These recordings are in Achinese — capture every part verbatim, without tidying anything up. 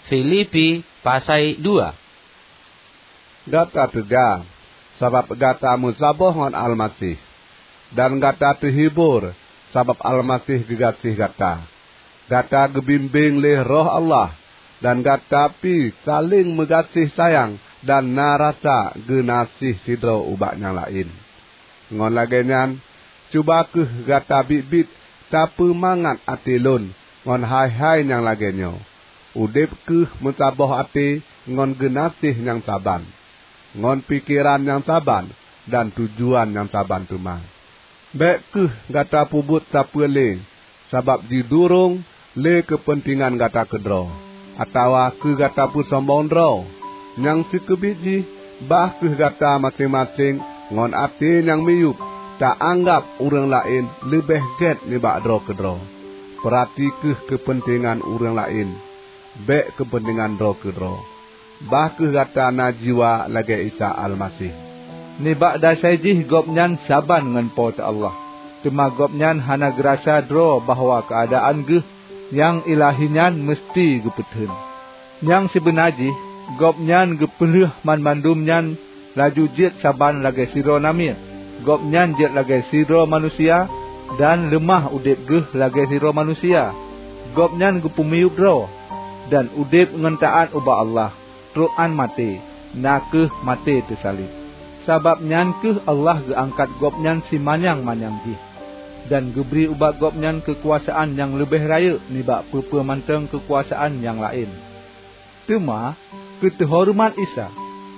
Filipi pasai dua. Gata teuga, sabab gata meusaboh ngon Almaseh, dan gata teuhibor, sabab Almaseh geugaséh gata. Gata geubimbéng lé Roh Allah, dan gata pi saléng meugaséh sayang dan na rasa geunaséh sidroe ubak nyang laén. Ngon lagée nyan, cuba kheueh gata biet-biet tapeumangat até lôn ngon hai-hai nyang lagée nyoe: udeb kheueh meusaboh até ngon geunaséh nyang saban, ngon pikeran nyang saban dan tujuan nyang saban teuma. Bék kheueh gata peubuet sapeue lé sabab jidurong lé keupeuntengan gata keudroe, atawa keu gata peusombong droe. Nyang sikeubiet jih, bah kheueh gata maséng-maséng ngon até nyang miyueb ta-anggab ureuëng laén leubeh gét nibak droe keudroe. Peurati kheueh keupeuntengan ureuëng laén, bék keupeuntengan droe keudroe. Bah kheueh gata na jiwa lagée Isa Almaseh. Nibak dasai jih Gobnyan saban ngon Po teu Allah, teuma Gobnyan hana geurasa droe bahwa keuadaan geuh nyang ilahi nyan meuseuti geupeutheun. Nyang sibeuna jih, Gobnyan geupeulheueh banmandum nyan laju jeuet saban lagée sidroe namiet. Gobnyan jeuet lagée sidroe manusia dan leumah udeb geuh lagée sidroe manusia. Gobnyan geupeumiyueb droe, dan udeb ngon taát ubak Allah, trok án maté, na kheueh maté teusaleb. Sabab nyan kheueh Allah geuangkat Gobnyan simanyang-manyang jih, dan geubri ubak Gobnyan keukuasaan nyang leubeh rayeuk nibak peue-peue mantong keukuasaan nyang laén. Teuma, keu teuhoreumat Isa,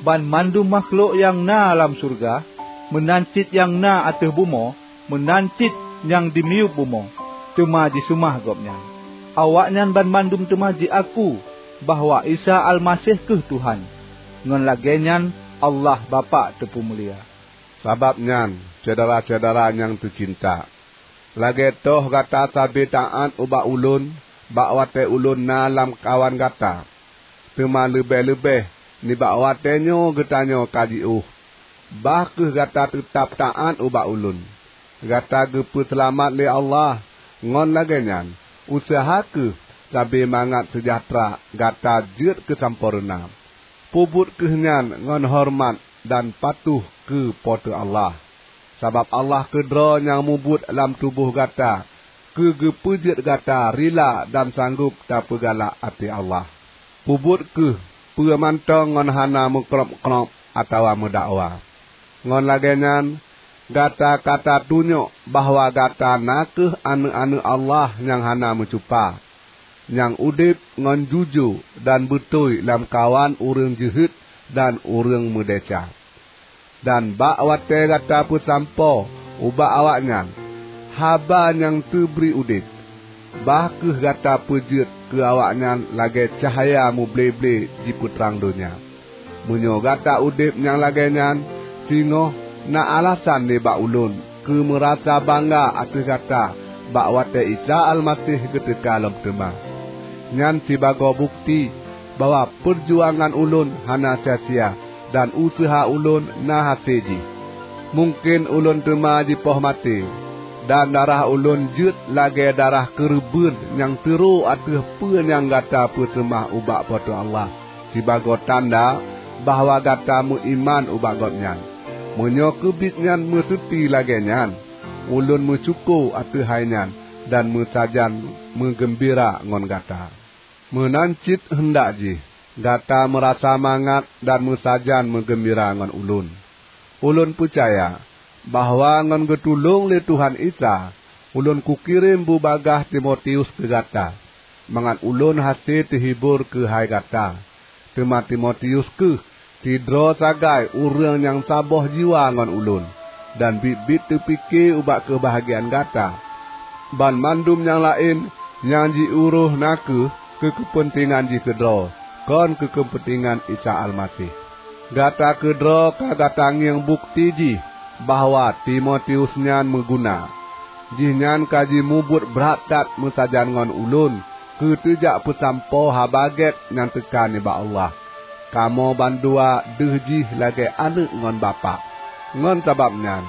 banmandum makhlok nyang na lam syeuruga, meunan cit nyang na ateueh bumoe, meunan cit nyang dimiyueb bumoe, teuma jiseumah Gobnyan. Awaknyan banmandum teuma jiaku bahwa Isa Almaseh kheueh Tuhan. Ngon lagée nyan Allah Bapak teupeumulia. Sabab nyan, syedara-syedara nyang teucinta, lagée toh gata sabe taát ubak ulôn bak watée ulôn na lamkawan gata, teuma leubeh-leubeh nibak watée nyoe geutanyoe ka jiôh, bah kheueh gata teutab taát ubak ulôn. Gata geupeuseulamat lé Allah, ngon lagée nyan, useuha kheueh sabe mangat seujahteura gata jeuet keusampoereuna. Peubuet kheueh nyan ngon horeumat dan patuh keu Po teu Allah. Sabab Allah keudroe nyang mubuet lam tuboh gata keu geupeujeuet gata rila dan sanggob tapeugalak até Allah. Peubuet kheueh peue mantong ngon hana meukrôb-krôb atawa meudakwa. Ngon lagée nyan, gata ka tatunyok bahwa gata na kheueh aneuëk-aneuëk Allah nyang hana meucupa, nyang udeb ngon jujue dan beutôi lamkawan ureuëng jeuhet dan ureuëng meudesya. Dan bak watée gata peusampoe ubak awaknyan haba nyang teubri udeb, bah kheueh gata peujeuet keu awaknyan lagée cahya muble-ble jipeutrang donya. Meunyoe gata udeb nyang lagée nyan, singoh na alasan nibak ulôn keu meurasa bangga ateueh gata bak watée Isa Almaseh geuteuka lom teuma. Nyan sibagoe bukeuti bahwa peurjuangan ulôn hana sia-sia dan useuha ulôn na hasé jih. Mungken ulôn teuma jipoh maté, dan darah ulôn jeuet lagée darah keureubeuen nyang teuro ateueh peue nyang gata peuseumah ubak Po teu Allah, sibagoe tanda bahwa gata meuiman ubak Gobnyan. Meunyoe keubiet nyan meuseuti lagée nyan, ulôn meusyukoe ateueh hai nyan dan meusajan meugeumbira ngon gata. Meunan cit heundak jih gata meurasa mangat dan meusajan meugeumbira ngon ulôn. Ulôn peucaya bahwa ngon geutulông lé Tuhan Isa, ulôn kukirém bubagaih Timotius keu gata, mangat ulôn hase teuhibor keuhai gata. Teuma Timotius kheueh sidroe sagai ureuëng nyang saboh jiwa ngon ulôn, dan biet-biet teupike ubak keubahgiaan gata. Banmandum nyang laén nyang jiurôh na kheueh keu keupeuntengan jih keudroe, kon keu keupeuntengan Isa Almaseh. Gata keudroe ka gata ngieng bukeuti jih bahwa Timotius nyan meuguna. Jihnyan ka jimubuet brat that meusajan ngon ulôn keu teujak peusampoe Haba Gét nyang teuka nibak Allah. Kamoe bandua deuh jih lagée aneuëk ngon bapak. Ngon sabab nyan,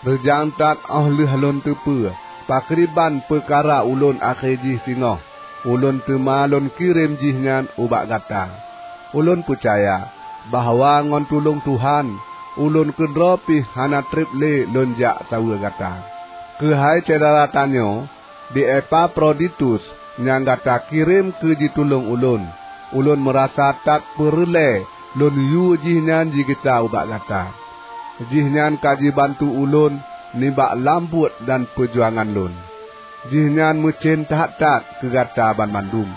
reujang that óh lheueh lôn teupeue pakriban peukara ulôn akhé jih singoh. ulôn teuma lôn kirém jihnyan ubak gata. Ulôn peucaya bahwa ngon tulông Tuhan, ulôn keudroe pih hana treb lé lôn jak saweue gata. Keuhai syedara tanyoe, di Epafroditus nyang gata kirém keu jitulông ulôn, ulôn meurasa that peureulée lôn yue jihnyan jigisa ubak gata. Jihnyan ka jibantu ulôn nibak lam buet dan peujuangan lôn. Jihnyan meucen that-that keu gata banmandum,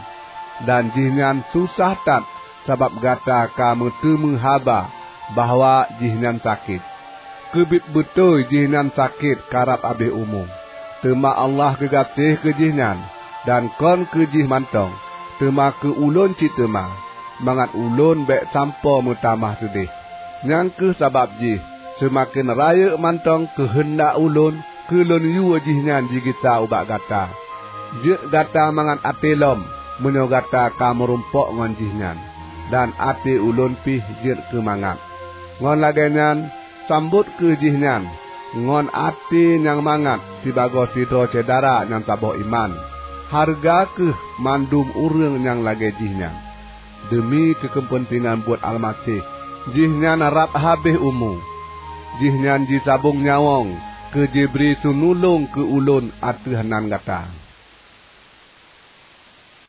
dan jihnyan susah that sabab gata ka meuteumé haba bahwa jihnyan sakét. Keubiet beutôi jihnyan sakét karab abéh umu, teuma Allah geugaséh keu jihnyan, dan kon keu jih mantong, teuma keu ulôn cit teuma, mangat ulôn bék sampoe meutamah seudeh. Nyang kheueh sabab jih seumaken rayeuk mantong keuheundak ulôn keu lôn yue jihnyan jigisa ubak gata. Jeuet gata mangat até lom meunyoe gata ka meurumpok ngon jihnyan, dan até ulôn pih jeuet keu mangat. Ngon lagée nyan, sambot kheueh jihnyan ngon até nyang mangat sibagoe sidroe syedara nyang saboh iman. Hareuga kheueh mandum ureuëng nyang lagée jihnyan. Deumi keu keupeuntengan buet Almaseh, jihnyan rab habéh umu. Jihnyan jisabong nyawöng keu jibri seunulông keu ulôn ateueh nan gata.